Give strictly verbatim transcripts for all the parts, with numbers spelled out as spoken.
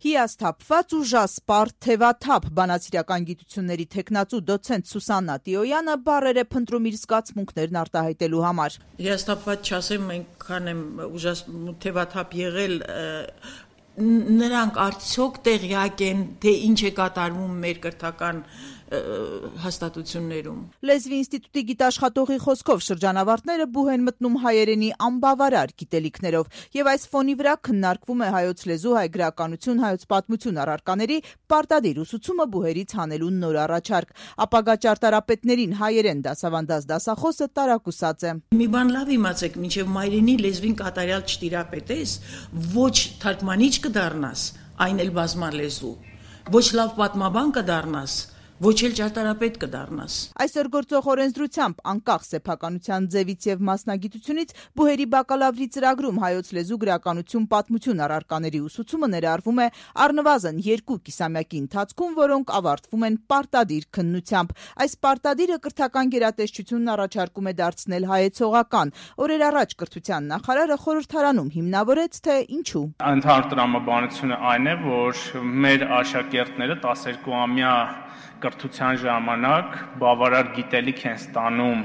Հիասթափված ու ժասպար թևաթափ բանասիրական գիտությունների թեկնածու դոցենտ Սուսաննա Տիոյանը բառեր է փնտրում իր զգացմունքներն արտահայտելու համար։ Հիասթափված չասեմ, այնքան եմ ուժաս թևաթափ եղել, նրանք արդյոք տեղյակ են, թե ինչ է կատարվում մեր կրթական հաստատություններում։ Լեզվի ինստիտուտի գիտաշխատողի խոսքով շրջանավարտները բուհ են մտնում հայերենի անբավարար գիտելիքներով, եւ այս ֆոնի վրա քննարկվում է հայոց լեզու, հայ գրականություն, հայոց պատմություն առարկաների պարտադիր ուսուցումը բուհերից հանելու նոր առաջարկ։ Ապագա ճարտարապետներին հայերեն դասավանդած դասախոսը տարակուսած է։ Մի բան լավ իմացեք, մինչև մայրենի լեզվին կատարյալ չտիրապետես, ոչ թարգմանիչ կդառնաս, այն էլ բազմալեզու, ոչ լավ պատմաբան կդառնաս, ոչ էլ ճարտարապետ կդառնաս։ Այսօր գործող օրենսդրությամբ անկախ սեփականության ձևից եւ մասնագիտությունից բուհերի բակալավրի ծրագրում հայոց լեզու, գրականություն, պատմություն առարկաների ուսուցումը ներառվում է առնվազն երկու կիսամյակի ընթացքում, որոնք ավարտվում են պարտադիր քննությամբ։ Այս պարտադիրը կրթական գերատեսչությունն առաջարկում է դարձնել հայեցողական։ Օրեր առաջ կրթության նախարարը խորհրդարանում հիմնավորեց, թե ինչու։ Ընդհանուր տրամաբանությունը այն է, որ մեր աշակերտները տասներկուամյա կրթության ժամանակ բավարար գիտելիք են ստանում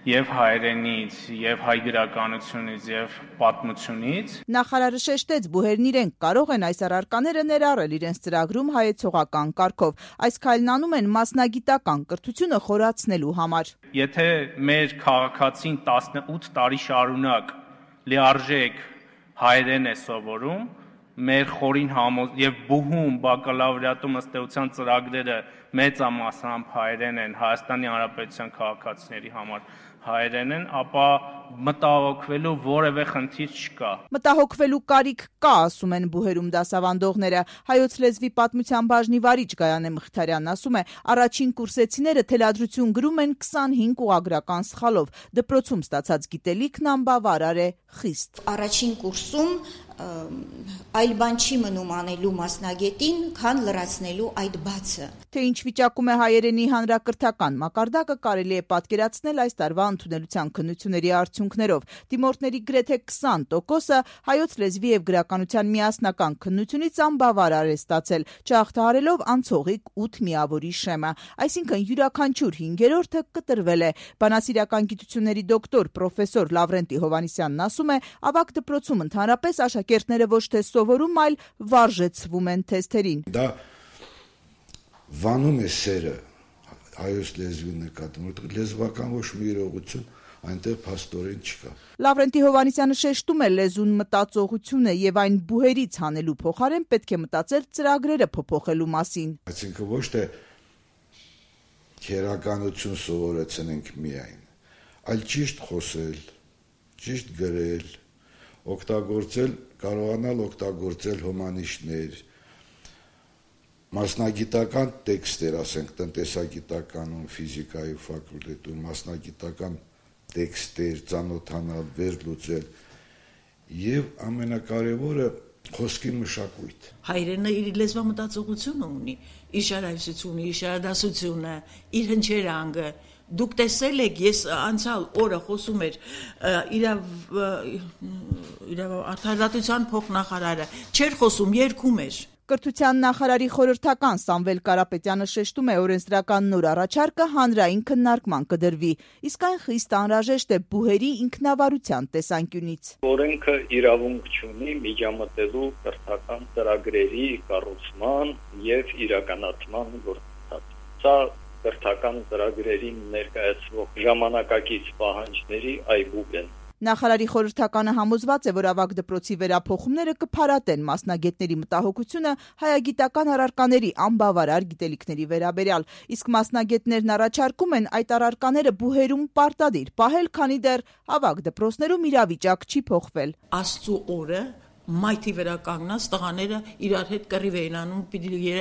եւ հայերենից, եւ հայ գրականությունից, եւ պատմությունից։ Նախարարը շեշտեց, բուհերն իրենք կարող են այս առարկաները ներառել իրենց ծրագրում հայեցողական կարգով։ Այս քայլն անում են մասնագիտական կրթությունը խորացնելու համար։ Եթե մեր քաղաքացին տասնութ տարի շարունակ լիարժեք հայերեն է սովորում, մեր խորին համոզ եւ բուհում բակալավրիատում ըստ էության ծրագրերը մեծամասամբ հայերեն են, Հայաստանի Հանրապետության քաղաքացիների համար հայերեն են, ապա մտահոգվելու որևէ խնդիր չկա։ Մտահոգվելու կարիք կա, ասում են բուհերում դասավանդողները։ Հայոց լեզվի պատմության բաժնի վարիչ Գայանե Մխիթարյանն ասում է, առաջին կուրսեցիները թելադրություն գրում են քսանհինգ ուղղագրական սխալով։ Դպրոցում ստացած գիտելիքն անբավարար է խիստ։ Առաջին կուրսում այլ բան չի մնում անելու մասնագետին, քան լրացնելու այդ բացը։ Թե ինչ վիճակում է հայերենի հանրակրթական մակարդակը կարելի է պատկերացնել այս տարվա ընդունելության քննությունների արդյունքներով։ Դիմորդների գրեթե քսան տոկոսը հայոց լեզվի եւ գրականության միասնական քննությունից անբավարար է ստացել, չհաղթահարելով անցողիկ ութ միավորի շեմը, այսինքն յուրաքանչյուր հինգերորդը կտրվել է։ Բանասիրական գիտությունների դոկտոր պրոֆեսոր Լավրենտի Հովհաննիսյանն ասում է, ավագ դպրոցում ընդհանրապես աշակերտները ոչ թե սովորում, այլ վարժեցվում են թեստերին։ Դա վանում է սերը հայոց լեզվի նկատմամբ, որտեղ լեզվական ոչ մի իրողություն այնտեղ փաստորեն չկա։ Լավրենտի Հովհաննիսյանը շեշտում է, լեզուն մտածողություն է եւ այն բուհերից հանելու փոխարեն պետք է մտածել ծրագրերը փոփոխելու մասին։ Այսինքն ոչ թե քերականություն սովորեցնենք միայն, այլ ճիշտ խոսել, ճիշտ գրել, օգտագործել, կարողանալ օգտագործել հոմանիշներ, մասնագիտական տեքստեր, ասենք տնտեսագիտականում, ֆիզիկայի ֆակուլտետում, մասնագիտական տեքստեր, ծանոթանալ, վերլուծել եւ ամենակարևորը խոսքի մշակույթ։ Հայրենը իր լեզվամտածողությունը ունի, իր շարահյուսությունը, իր շարադասությունը, իր հնչերանգը։ Դուք տեսել եք, ես անցյալ օրը խոսում էր իրավ իրավ արդարադատության փոխնախարարը, չէր խոսում, երգում էր։ Կրթության նախարարի խորհրդական Սամվել Կարապետյանը շեշտում է, օրենսդրական նոր առաջարկը հանրային քննարկման կդրվի, իսկ այն խիստ անհրաժեշտ է բուհերի ինքնավարության տեսանկյունից։ Օրենքը իրավունք չունի միջամտելու կրթական ծրագրերի կառուցման եւ իրականացման գործընթաց։ Սա կրթական ծրագրերին ներկայացվող ժամանակակից պահանջների այբուբ են։ Նախարարի խորհրդականը համոզված է, որ ավագ դպրոցի վերափոխումները կփարատեն մասնագետների մտահոգությունը հայագիտական առարկաների անբավարար գիտելիքների վերաբերյալ, իսկ մասնագետներն առաջարկում են այդ առարկաները բուհերում պարտադիր պահել, քանի դեռ ավագ դպրոցներում իրավիճակ չի փոխվել։ Աստծու օրը մայթի վրա կանգնած տղաները իրար հետ կռիվ էին անում, պիտի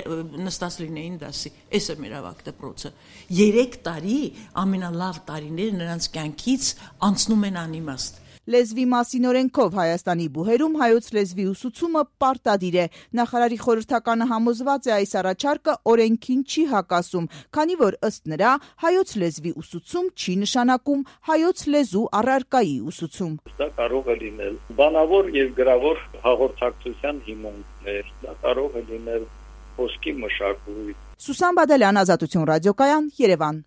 նստած լինեին դասի։ Էս է մեր ավագ դպրոցը։ Երեք տարի ամենալավ տարիները նրանց կյանքից անցնում են անիմաստ։ Լեզվի մասին օրենքով Հայաստանի բուհերում հայոց լեզվի ուսուցումը պարտադիր է։ Նախարարի խորհրդականը համոզված է այս առաջարկը օրենքին չի հակասում, քանի որ ըստ նրա հայոց լեզվի ուսուցում չի նշանակում հայոց լեզու առարկայի ուսուցում։ Դա կարող է լինել բանավոր եւ գրավոր հաղորդակցության հիմունքներ, դա կարող է լինել խոսքի մշակույթ։ Սուսան Բադալյան, Ազատություն ռադիոկայան, Երևան։